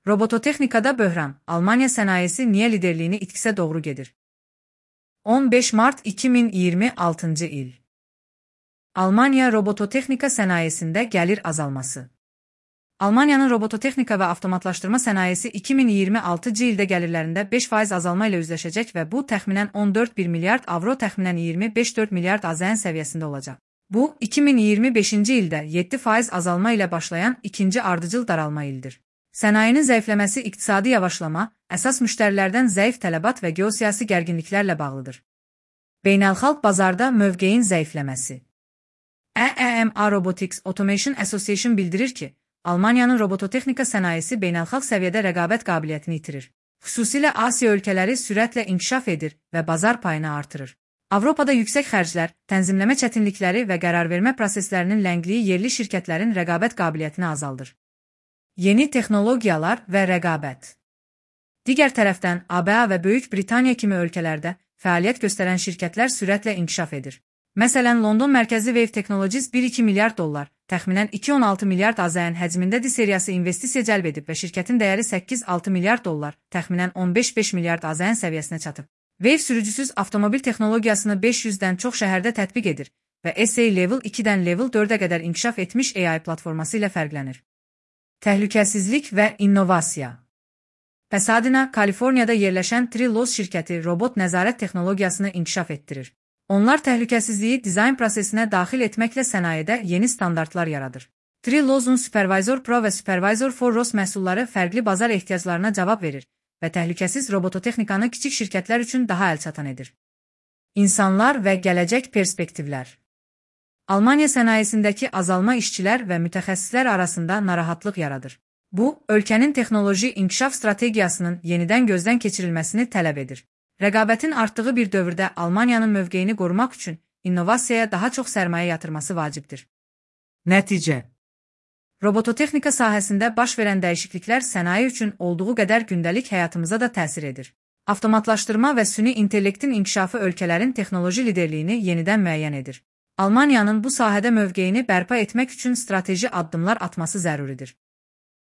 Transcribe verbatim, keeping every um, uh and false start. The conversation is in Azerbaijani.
Robototexnikada böhran, Almanya sənayesi niyə liderliyini itkisə doğru gedir? on beş mart iki min iyirmi altıncı il. Almanya robototexnika sənayesində gəlir azalması. Almanyanın robototexnika və avtomatlaşdırma sənayesi iki min iyirmi altıncı ildə gəlirlərində beş faiz azalma ilə üzləşəcək və bu təxminən on dörd bir milyard avro, təxminən iyirmi beş dörd milyard AZN səviyyəsində olacaq. Bu, iki min iyirmi beşinci ildə yeddi faiz azalma ilə başlayan ikinci ardıcıl daralma ildir. Sənayinin zəifləməsi iqtisadi yavaşlama, əsas müştərilərdən zəif tələbat və geosiyasi gərginliklərlə bağlıdır. Beynəlxalq bazarda mövqeyin zəifləməsi. E E M A Robotics Automation Association bildirir ki, Almanyanın robototexnika sənayesi beynəlxalq səviyyədə rəqabət qabiliyyətini itirir. Xüsusilə Asiya ölkələri sürətlə inkişaf edir və bazar payını artırır. Avropada yüksək xərclər, tənzimləmə çətinlikləri və qərarvermə proseslərinin ləngliyi yerli şirkətlərin rəqabət qabiliyyətini azaldır. Yeni texnologiyalar və rəqabət. Digər tərəfdən, A B A və Böyük Britaniya kimi ölkələrdə fəaliyyət göstərən şirkətlər sürətlə inkişaf edir. Məsələn, London mərkəzi Wave Technologies bir iki milyard dollar, təxminən iki on altı milyard AZN həcmində D seriyası investisiya cəlb edib və şirkətin dəyəri səkkiz altı milyard dollar, təxminən on beş beş milyard AZN səviyyəsinə çatıb. Wave sürücüsüz avtomobil texnologiyasını beş yüzdən çox şəhərdə tətbiq edir və S A Level ikidən Level dördə qədər inkişaf etmiş A I platforması ilə fərqlənir. Təhlükəsizlik və innovasiya. Pasadena, Kaliforniyada yerləşən Trilos şirkəti robot nəzarət texnologiyasını inkişaf etdirir. Onlar təhlükəsizliyi dizayn prosesinə daxil etməklə sənayedə yeni standartlar yaradır. Trilos'un Supervisor Pro və Supervisor for R O S məhsulları fərqli bazar ehtiyaclarına cavab verir və təhlükəsiz robototexnikanı kiçik şirkətlər üçün daha əlçatan edir. İnsanlar və gələcək perspektivlər. Almanya sənayesindəki azalma işçilər və mütəxəssislər arasında narahatlıq yaradır. Bu, ölkənin texnoloji inkişaf strategiyasının yenidən gözdən keçirilməsini tələb edir. Rəqabətin artdığı bir dövrdə Almanyanın mövqeyini qorumaq üçün innovasiyaya daha çox sərmayə yatırması vacibdir. Nəticə. Robototexnika sahəsində baş verən dəyişikliklər sənaye üçün olduğu qədər gündəlik həyatımıza da təsir edir. Avtomatlaşdırma və süni intellektin inkişafı ölkələrin texnoloji liderliyini yenidən müəyyən edir. Almanyanın bu sahədə mövqeyini bərpa etmək üçün strateji addımlar atması zəruridir.